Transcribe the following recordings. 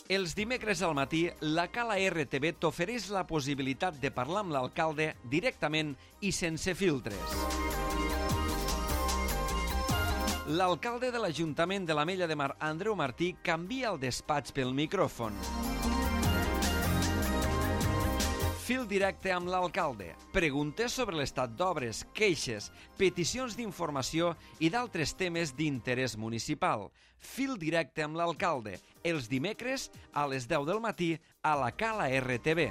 Els dimecres al matí, la Cala RTV t'ofereix la possibilitat de parlar amb l'alcalde directament i sense filtres. L'alcalde de l'Ajuntament de l'Ametlla de Mar, Andreu Martí, canvia el despatx pel micròfon. Fil directe amb l'alcalde. Preguntes sobre l'estat d'obres, queixes, peticions d'informació i d'altres temes d'interès municipal. Fil directe amb l'alcalde. Els dimecres a les 10 del matí a la Cala RTV.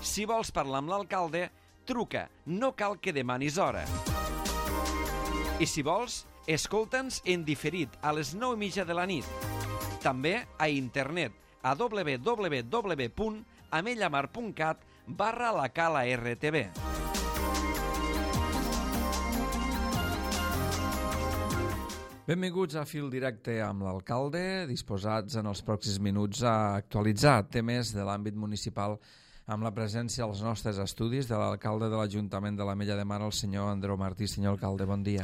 Si vols parlar amb l'alcalde, truca. No cal que demanis hora. I si vols, escolta'ns en diferit a les 9:30 de la nit. També a internet a www.amellamar.cat/la Cala RTV. Benvinguts a Fil Directe amb l'alcalde, disposats en els pròxims minuts a actualitzar temes de l'àmbit municipal amb la presència als nostres estudis de l'alcalde de l'Ajuntament de l'Ametlla de Mar, el senyor Andreu Martí. Senyor alcalde, bon dia.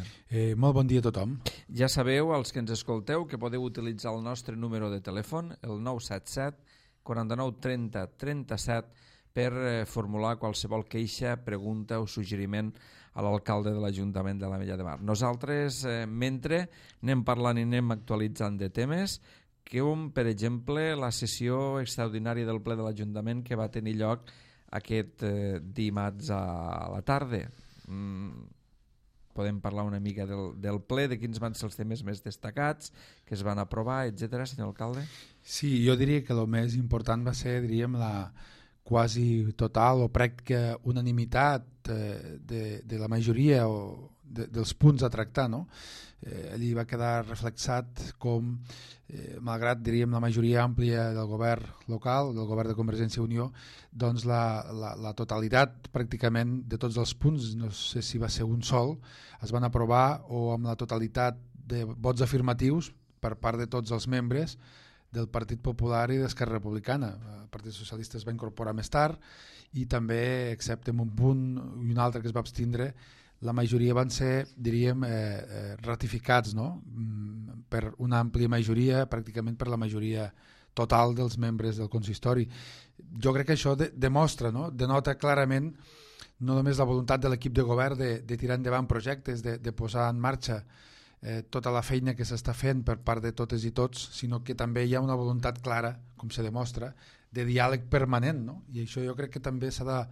Molt bon dia a tothom. Ja sabeu, els que ens escolteu, que podeu utilitzar el nostre número de telèfon, el 977 49 30 37, per formular qualsevol queixa, pregunta o suggeriment a l'alcalde de l'Ajuntament de l'Ametlla de Mar. Nosaltres, mentre anem parlant i anem actualitzant de temes, com, per exemple, la sessió extraordinària del ple de l'Ajuntament que va tenir lloc aquest dimarts a la tarda. Podem parlar una mica del ple, de quins van ser els temes més destacats, que es van aprovar, etc., senyor alcalde? Sí, jo diria que el més important va ser, diríem, la quasi total o pràctica unanimitat de la majoria dels punts a tractar, no? Allí va quedar reflexat com, malgrat, diríem, la majoria àmplia del govern local, del govern de Convergència i Unió, doncs la totalitat pràcticament de tots els punts, no sé si va ser un sol, es van aprovar o amb la totalitat de vots afirmatius per part de tots els membres del Partit Popular i d'Esquerra Republicana. El Partit Socialista es va incorporar més tard i també, excepte en un punt i un altre que es va abstindre, la majoria van ser, diríem, ratificats, no? Per una àmplia majoria, pràcticament per la majoria total dels membres del consistori. Jo crec que això demostra, no? Denota clarament no només la voluntat de l'equip de govern de tirar endavant projectes, de posar en marxa tota la feina que s'està fent per part de totes i tots, sinó que també hi ha una voluntat clara, com se demostra, de diàleg permanent, no? I això jo crec que també s'ha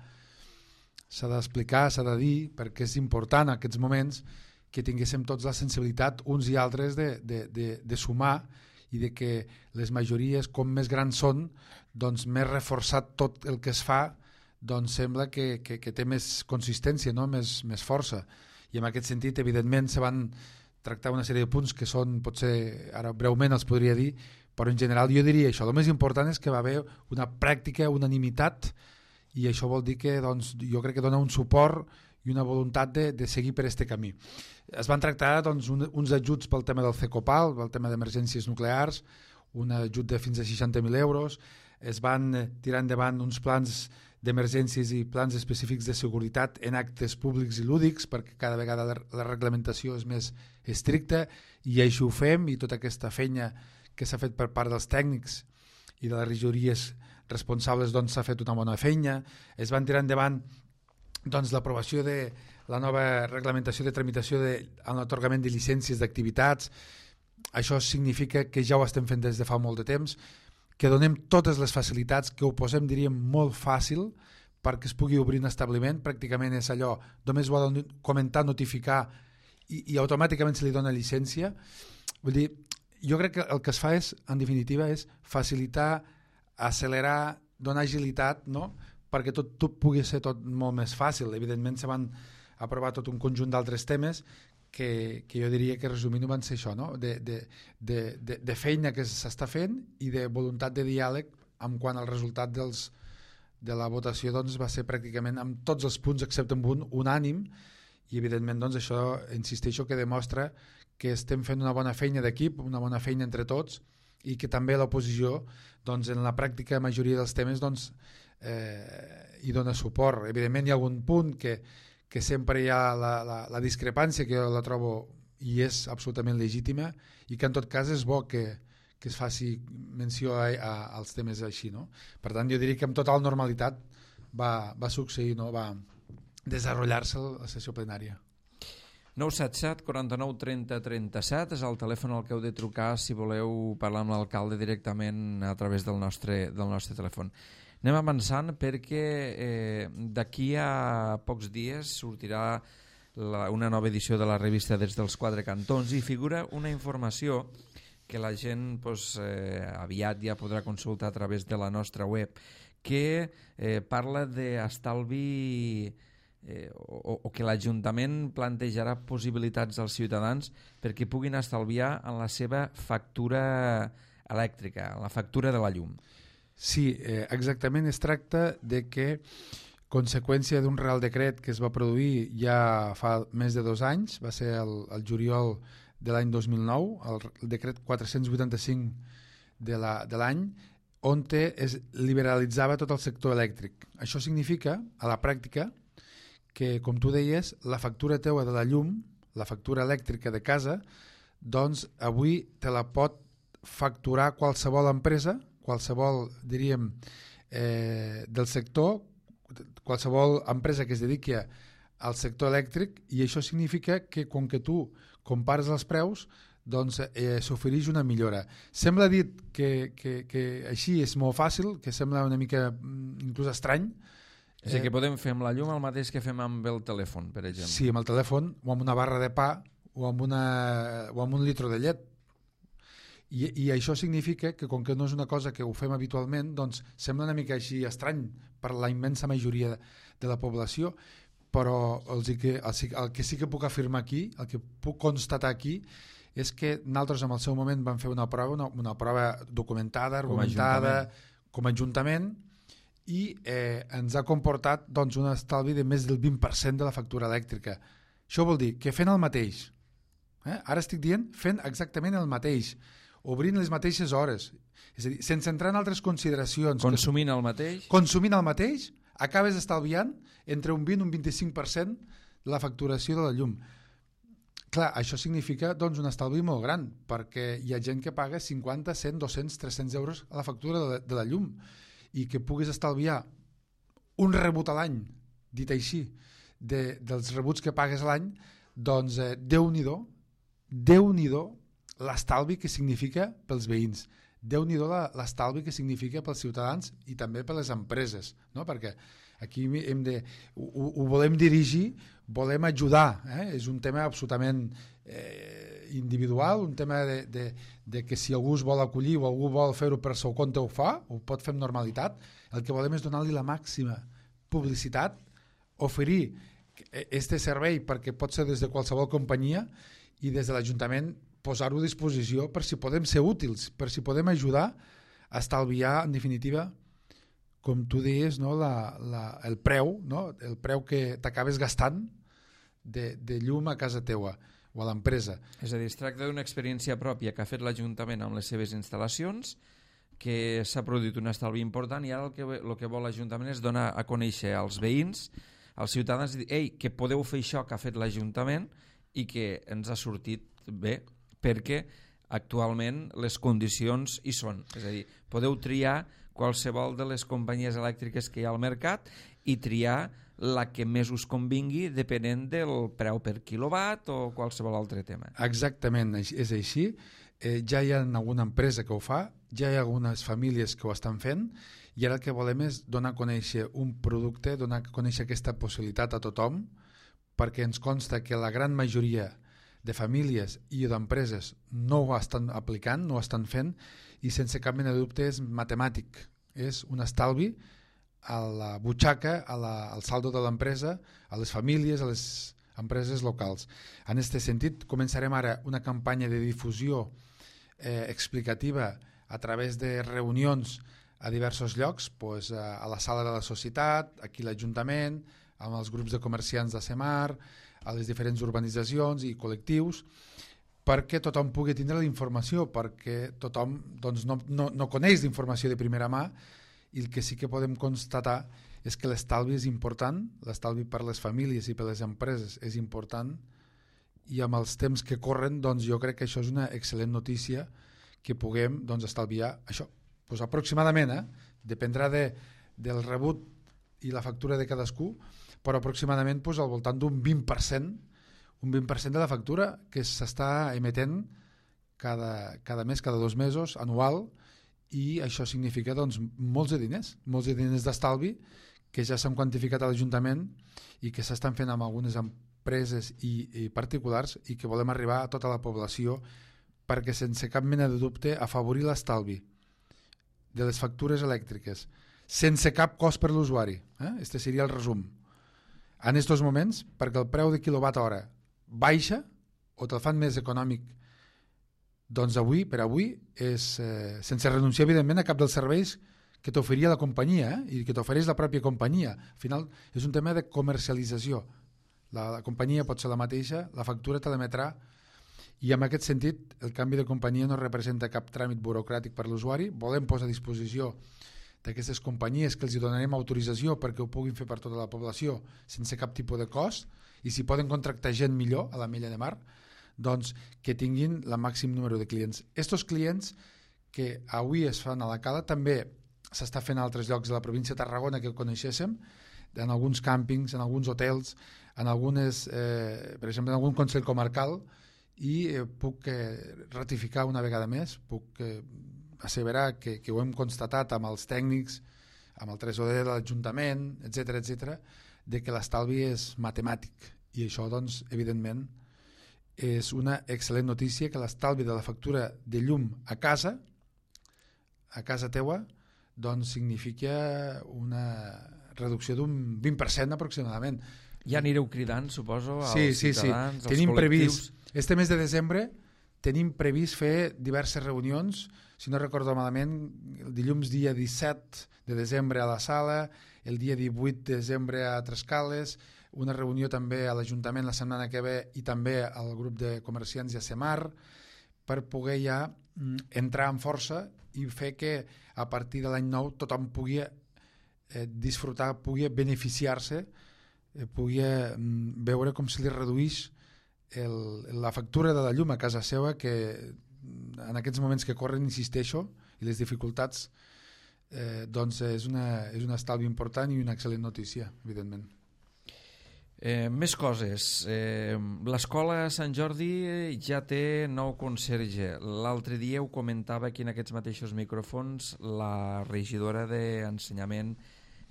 d'explicar, s'ha de dir, perquè és important en aquests moments que tinguéssim tots la sensibilitat uns i altres de sumar i de que les majories, com més grans són, doncs més reforçat tot el que es fa, doncs sembla que té més consistència, no? més força. I en aquest sentit, evidentment, se van tractar una sèrie de punts que són, potser, ara breument els podria dir, però en general jo diria això. El més important és que va haver una pràctica unanimitat i això vol dir que doncs, jo crec que dona un suport i una voluntat de seguir per aquest camí. Es van tractar doncs, uns ajuts pel tema del CECOPAL, pel tema d'emergències nuclears, un ajut de fins a 60.000 euros, es van tirar endavant uns plans d'emergències i plans específics de seguretat en actes públics i lúdics, perquè cada vegada la reglamentació és més estricta i així ho fem, i tota aquesta feina que s'ha fet per part dels tècnics i de les regidories responsables doncs s'ha fet una bona feina. Es van tirar endavant doncs, l'aprovació de la nova reglamentació de tramitació en l'atorgament de llicències d'activitats. Això significa que ja ho estem fent des de fa molt de temps, que donem totes les facilitats, que ho posem, diríem, molt fàcil perquè es pugui obrir un establiment. Pràcticament és allò, només ho ha de comentar, notificar i automàticament se li dona llicència. Vull dir, jo crec que el que es fa és, en definitiva, és facilitar, accelerar, donar agilitat, no? Perquè tot pugui ser tot molt més fàcil. Evidentment se van aprovar tot un conjunt d'altres temes que jo diria que resumint van ser això, no? de feina que s'està fent i de voluntat de diàleg en quant al resultat de la votació doncs, va ser pràcticament amb tots els punts excepte amb un unànim, i evidentment doncs, això insisteixo que demostra que estem fent una bona feina d'equip, una bona feina entre tots, i que també l'oposició doncs, en la pràctica majoria dels temes doncs, hi dona suport. Evidentment hi ha algun punt que sempre hi ha la discrepància, que jo la trobo i és absolutament legítima, i que en tot cas és bo que que es faci menció als temes així, no? Per tant, jo diria que amb total normalitat va succeir, no? Va desenvolupar-se la sessió plenària. 977 49 30 37 és el telèfon al que heu de trucar si voleu parlar amb l'alcalde directament a través del nostre telèfon. Anem avançant perquè d'aquí a pocs dies sortirà una nova edició de la revista Des dels Quatre Cantons i figura una informació que la gent aviat ja podrà consultar a través de la nostra web, que parla d'estalvi o que l'Ajuntament plantejarà possibilitats als ciutadans perquè puguin estalviar en la seva factura elèctrica, en la factura de la llum. Sí, exactament. Es tracta de que, conseqüència d'un Real Decret que es va produir ja fa més de 2 anys, va ser el juliol de l'any 2009, el decret 485 de l'any, on es liberalitzava tot el sector elèctric. Això significa, a la pràctica, que, com tu deies, la factura teua de la llum, la factura elèctrica de casa, doncs avui te la pot facturar qualsevol empresa, qualsevol, diríem, del sector, qualsevol empresa que es dediqui al sector elèctric, i això significa que, com que tu compares els preus, doncs s'ofereix una millora. Sembla dit que així és molt fàcil, que sembla una mica inclús estrany. És a dir, que podem fer amb la llum el mateix que fem amb el telèfon, per exemple. Sí, amb el telèfon, o amb una barra de pa, o amb un litro de llet. I això significa que, com que no és una cosa que ho fem habitualment, doncs sembla una mica així estrany per la immensa majoria de la població, però el que sí que puc afirmar aquí, el que puc constatar aquí, és que nosaltres en el seu moment vam fer una prova documentada, argumentada, com a Ajuntament, i ens ha comportat doncs, un estalvi de més del 20% de la factura elèctrica. Això vol dir que fent el mateix, ara estic dient fent exactament el mateix, obrint les mateixes hores, és a dir, sense entrar en altres consideracions. Consumint el mateix, acabes estalviant entre un 20 i un 25% de la facturació de la llum. Clar, això significa doncs, un estalvi molt gran, perquè hi ha gent que paga 50, 100, 200, 300 euros a la factura de la llum, i que puguis estalviar un rebut a l'any, dit així, dels rebuts que pagues a l'any, doncs Déu-n'hi-do l'estalvi que significa pels veïns, Déu-n'hi-do l'estalvi que significa pels ciutadans i també per les empreses, no? Perquè aquí ho volem dirigir, volem ajudar, és un tema absolutament individual, un tema de que si algú es vol acollir o algú vol fer-ho per seu compte ho fa, ho pot fer amb normalitat. El que volem és donar-li la màxima publicitat, oferir aquest servei perquè pot ser des de qualsevol companyia i des de l'Ajuntament posar-ho a disposició per si podem ser útils, per si podem ajudar a estalviar, en definitiva, com tu deies, no? el preu, no? El preu que t'acabes gastant de llum a casa teua o a l'empresa. És a dir, es tracta d'una experiència pròpia que ha fet l'Ajuntament amb les seves instal·lacions, que s'ha produït un estalvi important, i ara el que vol l'Ajuntament és donar a conèixer als veïns, als ciutadans, dir, ei, que podeu fer això que ha fet l'Ajuntament i que ens ha sortit bé, perquè actualment les condicions hi són. És a dir, podeu triar qualsevol de les companyies elèctriques que hi ha al mercat i triar la que més us convingui depenent del preu per quilowatt o qualsevol altre tema. Exactament, és així. Ja hi ha alguna empresa que ho fa, ja hi ha algunes famílies que ho estan fent, i ara el que volem és donar a conèixer un producte, donar a conèixer aquesta possibilitat a tothom, perquè ens consta que la gran majoria de famílies i d'empreses no ho estan aplicant, no ho estan fent, i sense cap mena de dubte és matemàtic, és un estalvi a la butxaca, al saldo de l'empresa, a les famílies, a les empreses locals. En aquest sentit, començarem ara una campanya de difusió explicativa a través de reunions a diversos llocs, doncs, a la sala de la societat, aquí a l'Ajuntament, amb els grups de comerciants de Semar, a les diferents urbanitzacions i col·lectius, perquè tothom pugui tindre la informació, perquè tothom doncs, no coneix l'informació de primera mà, i el que sí que podem constatar és que l'estalvi és important, l'estalvi per les famílies i per les empreses és important, i amb els temps que corren doncs jo crec que això és una excel·lent notícia que puguem doncs, estalviar això. Pues aproximadament, dependrà del rebut i la factura de cadascú, però aproximadament pues, al voltant d'un 20%, un 20% de la factura que s'està emetent cada mes, cada 2 mesos, anual, i això significa doncs, molts de diners d'estalvi que ja s'han quantificat a l'Ajuntament i que s'estan fent amb algunes empreses i particulars i que volem arribar a tota la població perquè sense cap mena de dubte afavorir l'estalvi de les factures elèctriques sense cap cost per l'usuari. Este seria el resum. En aquests moments, perquè el preu de quilowatt hora baixa o te'l fan més econòmic, doncs avui, per avui, és sense renunciar evidentment a cap dels serveis que t'oferia la companyia i que t'ofereix la pròpia companyia. Al final és un tema de comercialització. La companyia pot ser la mateixa, la factura te l'emetrà i en aquest sentit el canvi de companyia no representa cap tràmit burocràtic per l'usuari. Volem posar a disposició d'aquestes companyies que els donarem autorització perquè ho puguin fer per tota la població sense cap tipus de cost i si poden contractar gent millor a l'Ametlla de Mar, doncs que tinguin el màxim número de clients. Estos clients que avui es fan a la Cala també s'està fent a altres llocs de la província de Tarragona que coneixéssim, en alguns càmpings, en alguns hotels, en algunes, per exemple, en algun consell comarcal i puc ratificar una vegada més, puc asseverar que ho hem constatat amb els tècnics, amb el tresorer de l'Ajuntament, etc, de que l'estalvi és matemàtic i això, doncs, evidentment, és una excel·lent notícia que l'estalvi de la factura de llum a casa teua, doncs significa una reducció d'un 20% aproximadament. Ja anireu cridant, suposo, als ciutadans, als tenim col·lectius. Este mes de desembre tenim previst fer diverses reunions, si no recordo malament, el dilluns dia 17 de desembre a la Sala, el dia 18 de desembre a Trescales, una reunió també a l'Ajuntament la setmana que ve i també al grup de comerciants i a Semar per poder ja entrar en força i fer que a partir de l'any nou tothom pugui disfrutar, pugui beneficiar-se, pugui veure com se li redueix la factura de la llum a casa seva, que en aquests moments que corren, insisteixo, i les dificultats, doncs és un estalvi important i una excel·lent notícia, evidentment. Més coses. L'escola Sant Jordi ja té nou conserge. L'altre dia ho comentava aquí en aquests mateixos micròfons la regidora d'Ensenyament,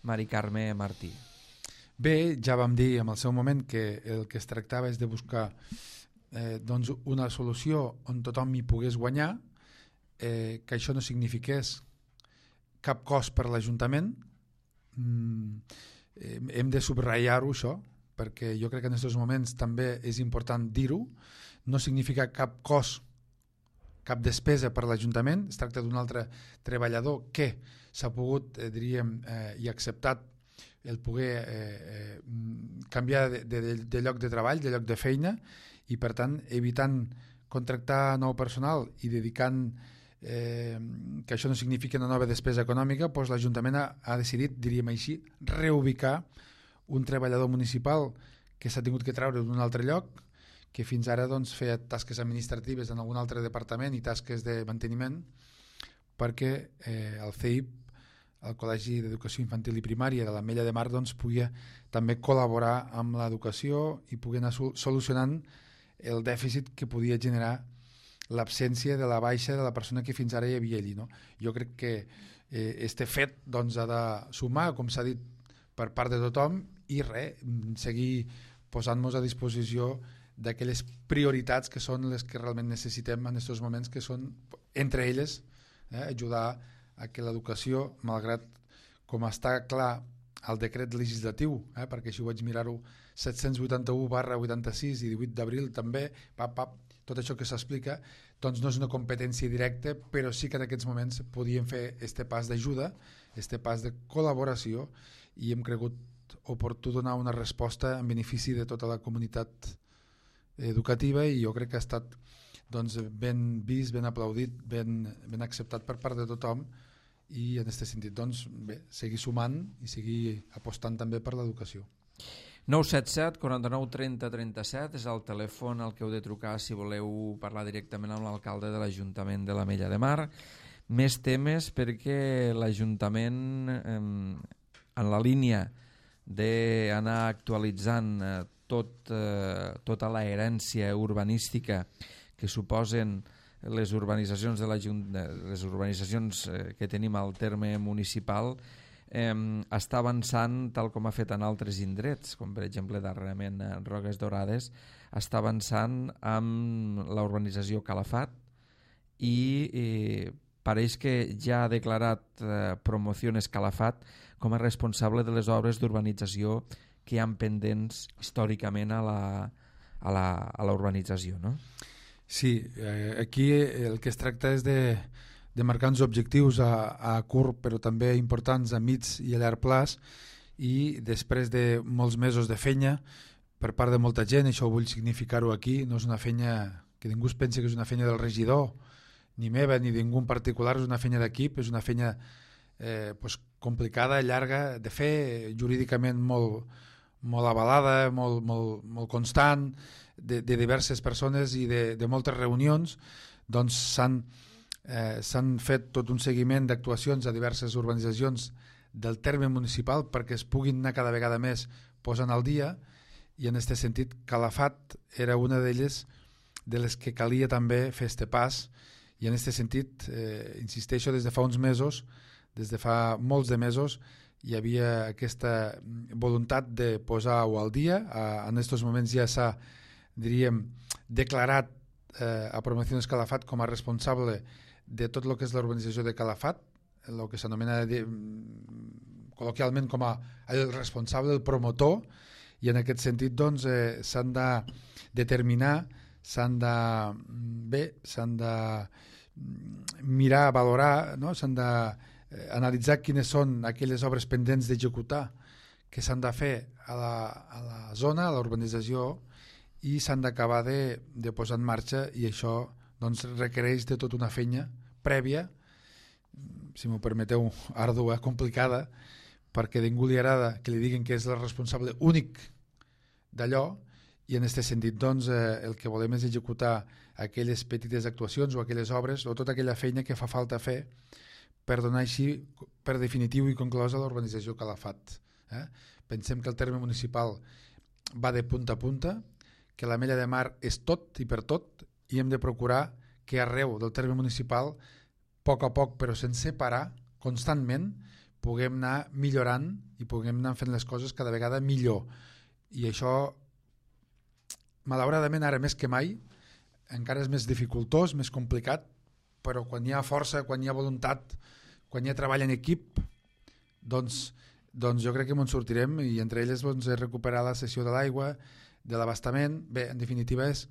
Mari Carme Martí. Bé, ja vam dir en el seu moment que el que es tractava és de buscar doncs una solució on tothom hi pogués guanyar, que això no signifiqués cap cost per l'Ajuntament. Hem de subratllar-ho, això, perquè jo crec que en aquests moments també és important dir-ho. No significa cap cost, cap despesa per l'Ajuntament. Es tracta d'un altre treballador que s'ha pogut, diríem, i acceptat el poder canviar de lloc de treball, de lloc de feina, i per tant evitant contractar nou personal i dedicant que això no significa una nova despesa econòmica, doncs l'Ajuntament ha decidit, diríem així, reubicar un treballador municipal que s'ha tingut que treure d'un altre lloc, que fins ara doncs, feia tasques administratives en algun altre departament i tasques de manteniment, perquè el CEIP, el Col·legi d'Educació Infantil i Primària de l'Ametlla de Mar, doncs, pugui també col·laborar amb l'educació i pugui anar solucionant el dèficit que podia generar l'absència de la baixa de la persona que fins ara hi havia allí. No? Jo crec que este fet doncs, ha de sumar, com s'ha dit, per part de tothom i seguir posant-nos a disposició d'aquelles prioritats que són les que realment necessitem en aquests moments, que són, entre elles, ajudar a que l'educació, malgrat com està clar el decret legislatiu, perquè així ho vaig mirar-ho, 781/86 i 18 d'abril també, tot això que s'explica, doncs no és una competència directa, però sí que en aquests moments podíem fer este pas d'ajuda, este pas de col·laboració, i hem cregut oportú donar una resposta en benefici de tota la comunitat educativa, i jo crec que ha estat doncs, ben vist, ben aplaudit, ben acceptat per part de tothom, i en aquest sentit doncs, bé, seguir sumant i seguir apostant també per l'educació. 977 49 30 37 és el telèfon al que heu de trucar si voleu parlar directament amb l'alcalde de l'Ajuntament de l'Ametlla de Mar. Més temes perquè l'Ajuntament, en la línia d'anar actualitzant tota la herència urbanística que suposen les urbanitzacions les urbanitzacions que tenim al terme municipal, està avançant tal com ha fet en altres indrets, com per exemple darrerament Roques Dorades, està avançant amb la urbanització Calafat i pareix que ja ha declarat Promociones Calafat com a responsable de les obres d'urbanització que hi ha pendents històricament a la urbanització, no? Sí, aquí el que es tracta és de marcar uns objectius a curt però també importants a mig i a llarg plaç, i després de molts mesos de feina per part de molta gent, això ho vull significar-ho aquí, no és una feina que ningú es pensi que és una feina del regidor ni meva ni de ningú en particular, és una feina d'equip, és una feina complicada, llarga de fer, jurídicament molt avalada, molt constant, de diverses persones i de moltes reunions. Doncs s'han fet tot un seguiment d'actuacions a diverses urbanitzacions del terme municipal perquè es puguin anar cada vegada més posant al dia, i en aquest sentit Calafat era una d'elles de les que calia també fer este pas, i en aquest sentit insisteixo, des de fa uns mesos, des de fa molts de mesos hi havia aquesta voluntat de posar-ho al dia. En aquests moments ja s'ha, diríem, declarat a Promociones Calafat com a responsable de tot el que és l'urbanització de Calafat, el que s'anomena col·loquialment com a el responsable, el promotor, i en aquest sentit doncs, s'han de determinar, s'han de mirar, valorar, no? S'han d'analitzar quines són aquelles obres pendents d'executar que s'han de fer a la zona, a l'urbanització, i s'han d'acabar de posar en marxa, i això doncs, requereix de tota una feina prèvia, si m'ho permeteu, ardua, complicada, perquè a ningú li agrada que li diguin que és el responsable únic d'allò, i en aquest sentit doncs, el que volem és executar aquelles petites actuacions o aquelles obres o tota aquella feina que fa falta fer per donar així per definitiu i conclosa l'urbanització Calafat. Pensem que el terme municipal va de punta a punta, que l'Ametlla de Mar és tot i per tot, i hem de procurar que arreu del terme municipal, a poc però sense parar, constantment, puguem anar millorant i puguem anar fent les coses cada vegada millor. I això, malauradament, ara més que mai, encara és més dificultós, més complicat, però quan hi ha força, quan hi ha voluntat, quan hi ha treball en equip, doncs jo crec que ens sortirem, i entre elles doncs, recuperar la cessió de l'aigua, de l'abastament. Bé, en definitiva és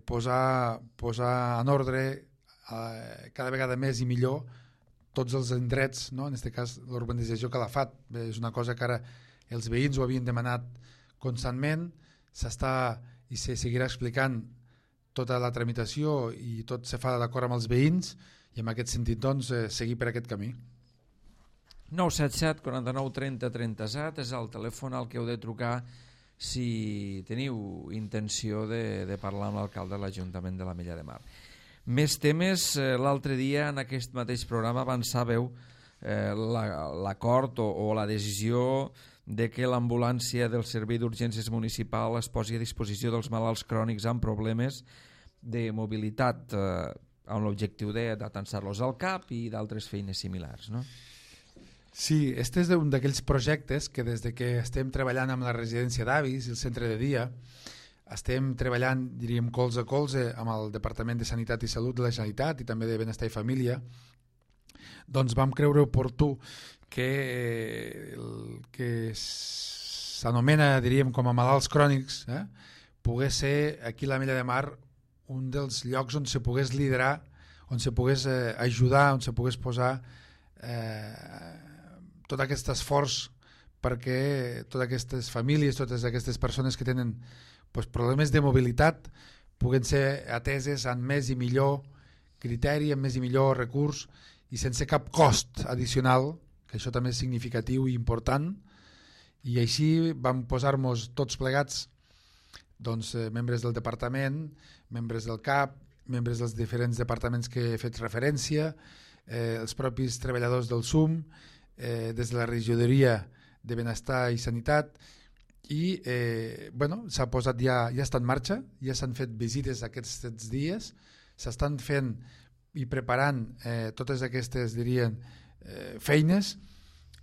posar en ordre cada vegada més i millor tots els indrets, no? En aquest cas l'urbanització Calafat. Bé, és una cosa que ara els veïns ho havien demanat constantment, s'està i se seguirà explicant tota la tramitació i tot se fa d'acord amb els veïns, i en aquest sentit doncs, seguir per aquest camí. 977 49 30 37 és el telèfon al que heu de trucar si teniu intenció de parlar amb l'alcalde de l'Ajuntament de l'Ametlla de Mar. Més temes, l'altre dia en aquest mateix programa avançàveu l'acord o la decisió de que l'ambulància del Servei d'Urgències Municipal es posi a disposició dels malalts crònics amb problemes de mobilitat, amb l'objectiu d'atansar-los al CAP i d'altres feines similars, no? Sí, este és un d'aquells projectes que des de que estem treballant amb la residència d'avis i el centre de dia, estem treballant, diríem, colze a colze amb el Departament de Sanitat i Salut de la Generalitat i també de Benestar i Família, doncs vam creure oportú que el que s'anomena, diríem, com a malalts crònics, pogués ser aquí a l'Ametlla de Mar un dels llocs on se pogués liderar, on se pogués ajudar, on se pogués posar tot aquest esforç perquè totes aquestes famílies, totes aquestes persones que tenen problemes de mobilitat puguen ser ateses amb més i millor criteri, amb més i millor recurs i sense cap cost addicional, que això també és significatiu i important, I així vam posar-nos tots plegats, doncs, membres del departament, membres del CAP, membres dels diferents departaments que he fet referència, els propis treballadors del SUM, des de la regidoria de Benestar i Sanitat, i s'ha posat, ja està en marxa, ja s'han fet visites aquests dies, s'estan fent i preparant totes aquestes, dirien, feines,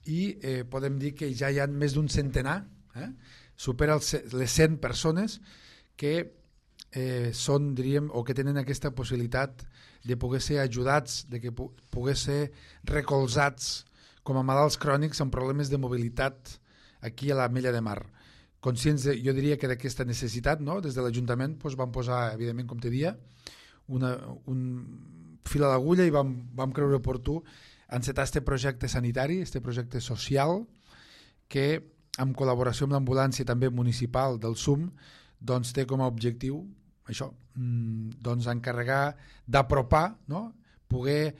i podem dir que ja hi ha més d'un centenar, supera les 100 persones que són, diríem, o que tenen aquesta possibilitat de poder ser ajudats, de que poder ser recolzats com a malalts crònics amb problemes de mobilitat aquí a l'Ametlla de Mar. Conscients, jo diria que d'aquesta necessitat, no? Des de l'Ajuntament vam posar, evidentment, com te dia, un fil a l'agulla i vam creure oportú encetar aquest projecte sanitari, aquest projecte social, que en col·laboració amb l'ambulància també municipal del SUM, doncs té com a objectiu això, doncs encarregar d'apropar, no? Poder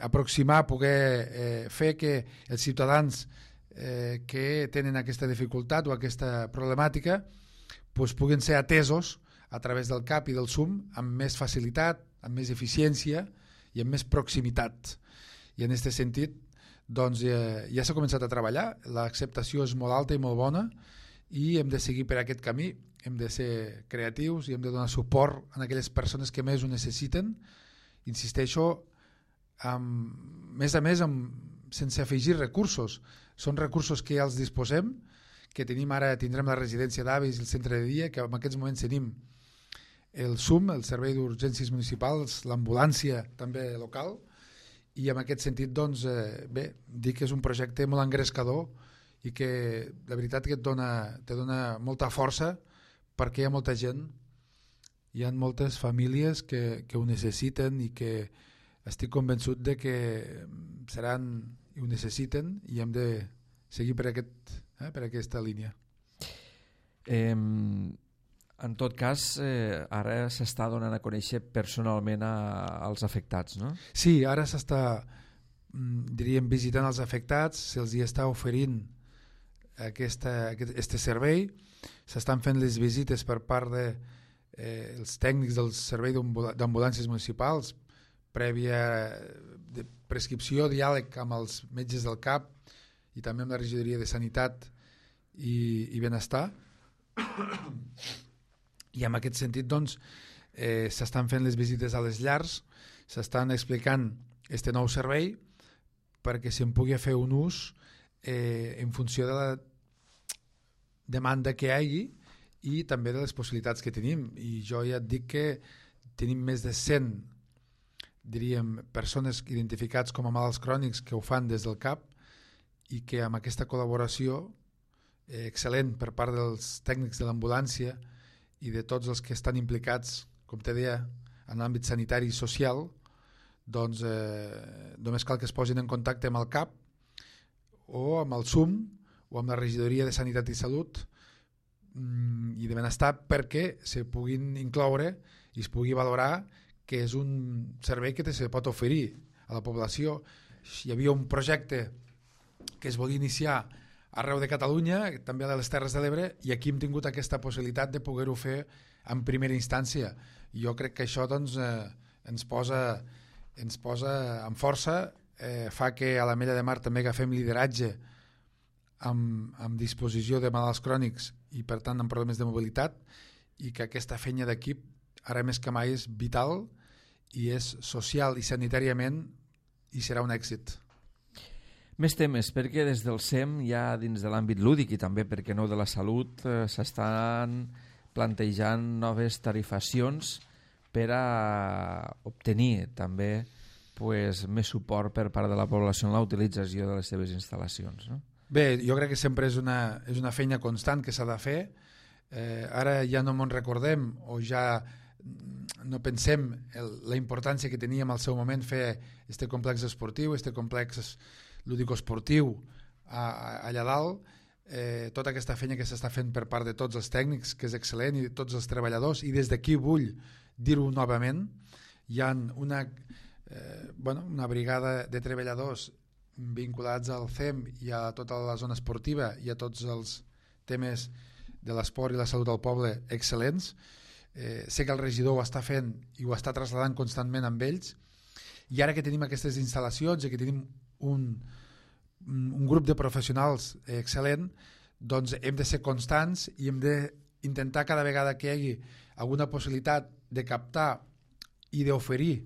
aproximar, poder fer que els ciutadans que tenen aquesta dificultat o aquesta problemàtica doncs puguin ser atesos a través del CAP i del SUM amb més facilitat, amb més eficiència i amb més proximitat. I en aquest sentit doncs, ja s'ha començat a treballar, l'acceptació és molt alta i molt bona i hem de seguir per aquest camí, hem de ser creatius i hem de donar suport a aquelles persones que més ho necessiten. Insisteixo, més a més, sense afegir recursos. Són recursos que ja els disposem, que tindrem la residència d'avis i el centre de dia, que en aquests moments tenim el SUM, el Servei d'Urgències Municipals, l'ambulància també local, i en aquest sentit, doncs, dic que és un projecte molt engrescador i que la veritat que te dona molta força perquè hi ha molta gent, hi ha moltes famílies que ho necessiten i que estic convençut de que seran i ho necessiten i hem de seguir per aquesta línia. En tot cas, ara s'està donant a conèixer personalment als afectats, no? Sí, ara s'està, diríem, visitant els afectats, se'ls hi està oferint aquest servei, s'estan fent les visites per part dels tècnics del Servei d'Ambulàncies Municipals, prèvia prescripció, diàleg amb els metges del CAP i també amb la regidoria de Sanitat i Benestar. I en aquest sentit doncs, s'estan fent les visites a les llars, s'estan explicant aquest nou servei perquè se'n pugui fer un ús en funció de la demanda que hi hagi i també de les possibilitats que tenim. I jo ja et dic que tenim més de 100, diríem, persones identificats com a malalts crònics que ho fan des del CAP i que amb aquesta col·laboració excel·lent per part dels tècnics de l'ambulància i de tots els que estan implicats, com te deia, en l'àmbit sanitari i social, doncs només cal que es posin en contacte amb el CAP o amb el SUM o amb la regidoria de Sanitat i Salut i de Benestar perquè se puguin incloure i es pugui valorar que és un servei que se pot oferir a la població. Hi havia un projecte que es volia iniciar arreu de Catalunya, també a les Terres de l'Ebre, i aquí hem tingut aquesta possibilitat de poder-ho fer en primera instància. Jo crec que això doncs, ens posa en força, fa que a l'Ametlla de Mar també agafem lideratge amb disposició de malalts crònics i per tant amb problemes de mobilitat, i que aquesta feina d'equip ara més que mai és vital i és social i sanitàriament i serà un èxit. Més temes, perquè des del SEM ja dins de l'àmbit lúdic i també, per què no, de la salut, s'estan plantejant noves tarifacions per a obtenir també més suport per part de la població en la utilització de les seves instal·lacions, no? Bé, jo crec que sempre és una feina constant que s'ha de fer. Ara ja no me'n recordem o ja no pensem la importància que teníem al seu moment fer este complex esportiu, este complex lúdico-esportiu allà dalt, tota aquesta feina que s'està fent per part de tots els tècnics, que és excel·lent, i de tots els treballadors, i des d'aquí vull dir-ho novament, hi ha una brigada de treballadors vinculats al CEM i a tota la zona esportiva i a tots els temes de l'esport i la salut del poble excel·lents. Sé que el regidor ho està fent i ho està traslladant constantment amb ells, i ara que tenim aquestes instal·lacions i que tenim un grup de professionals excel·lent, doncs hem de ser constants i hem d'intentar cada vegada que hi hagi alguna possibilitat de captar i d'oferir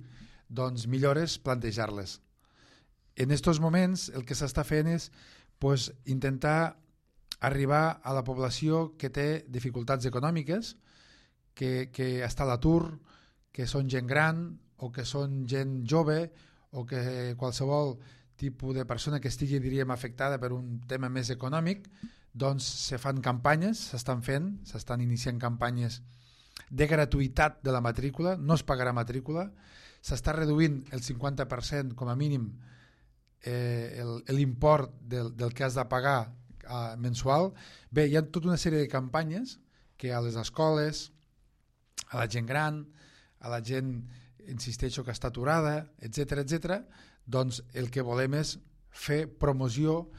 doncs, millores, plantejar-les. En aquests moments el que s'està fent és intentar arribar a la població que té dificultats econòmiques, que està a l'atur, que són gent gran o que són gent jove o que qualsevol tipus de persona que estigui, diríem, afectada per un tema més econòmic, doncs se fan campanyes, s'estan iniciant campanyes de gratuïtat de la matrícula, no es pagarà matrícula, s'està reduint el 50% com a mínim l'import del que has de pagar mensual. Bé, hi ha tota una sèrie de campanyes que a les escoles, a la gent gran, a la gent, insisteixo, que està aturada, etc., doncs el que volem és fer promoció,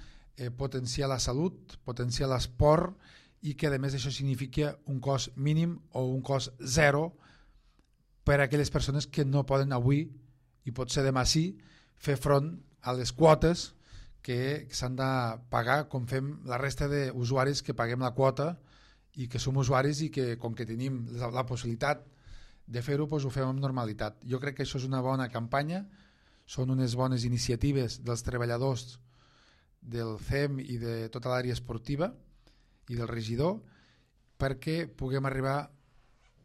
potenciar la salut, potenciar l'esport, i que a més això significa un cost mínim o un cost zero per a aquelles persones que no poden avui, i potser demà sí, fer front a les quotes que s'han de pagar com fem la resta d'usuaris que paguem la quota i que som usuaris i que com que tenim la possibilitat de fer-ho, doncs ho fem amb normalitat. Jo crec que això és una bona campanya, són unes bones iniciatives dels treballadors del CEM i de tota l'àrea esportiva i del regidor, perquè puguem arribar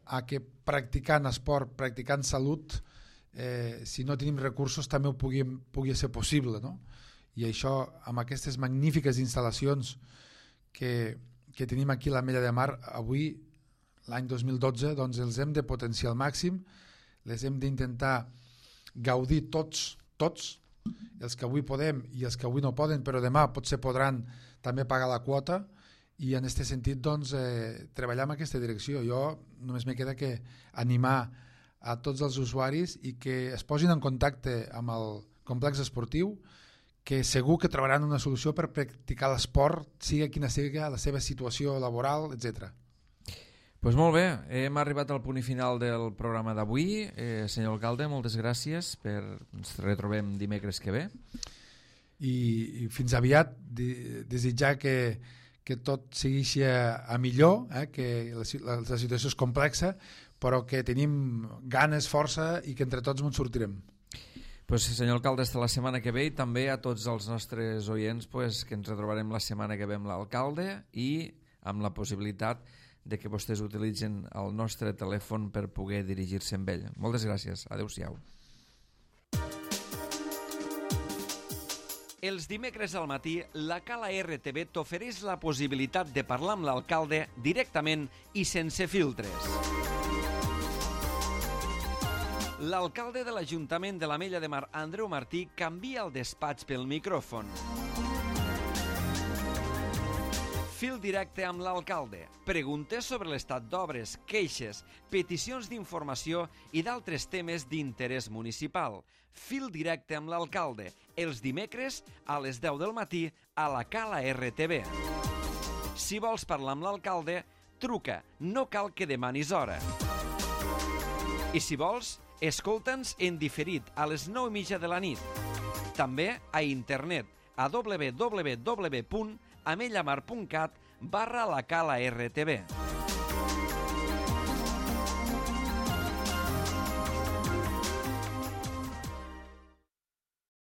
a que practicant esport, practicant salut, si no tenim recursos també ho pugui ser possible, no? I això, amb aquestes magnífiques instal·lacions que tenim aquí a l'Ametlla de Mar, avui, l'any 2012, doncs els hem de potenciar al màxim, les hem d'intentar gaudir tots, els que avui podem i els que avui no poden, però demà potser podran també pagar la quota, i en aquest sentit doncs, treballar en aquesta direcció. Jo només me queda que animar a tots els usuaris i que es posin en contacte amb el complex esportiu, que segur que trobaran una solució per practicar l'esport, sigui quina sigui la seva situació laboral, etc. Pues molt bé, hem arribat al punt final del programa d'avui. Senyor alcalde, moltes gràcies, ens retrobem dimecres que ve. I fins aviat, desitjar que tot segueixi a millor, que la situació és complexa, però que tenim ganes, força i que entre tots ens sortirem. Pues, senyor alcalde, hasta la setmana que ve, i també a tots els nostres oients que ens retrobarem la setmana que ve amb l'alcalde i amb la possibilitat de que vostès utilitzen el nostre telèfon per poder dirigir-se amb ell. Moltes gràcies. Adéu-siau. Els dimecres al matí, la Cala RTV t'ofereix la possibilitat de parlar amb l'alcalde directament i sense filtres. L'alcalde de l'Ajuntament de l'Ametlla de Mar, Andreu Martí, canvia el despatx pel micròfon. Fil directe amb l'alcalde. Preguntes sobre l'estat d'obres, queixes, peticions d'informació i d'altres temes d'interès municipal. Fil directe amb l'alcalde. Els dimecres a les 10 del matí a la Cala RTV. Si vols parlar amb l'alcalde, truca. No cal que demanis hora. I si vols, escolta'ns en diferit a les 9:30 de la nit. També a internet a www.amellamar.cat/la Cala RTV.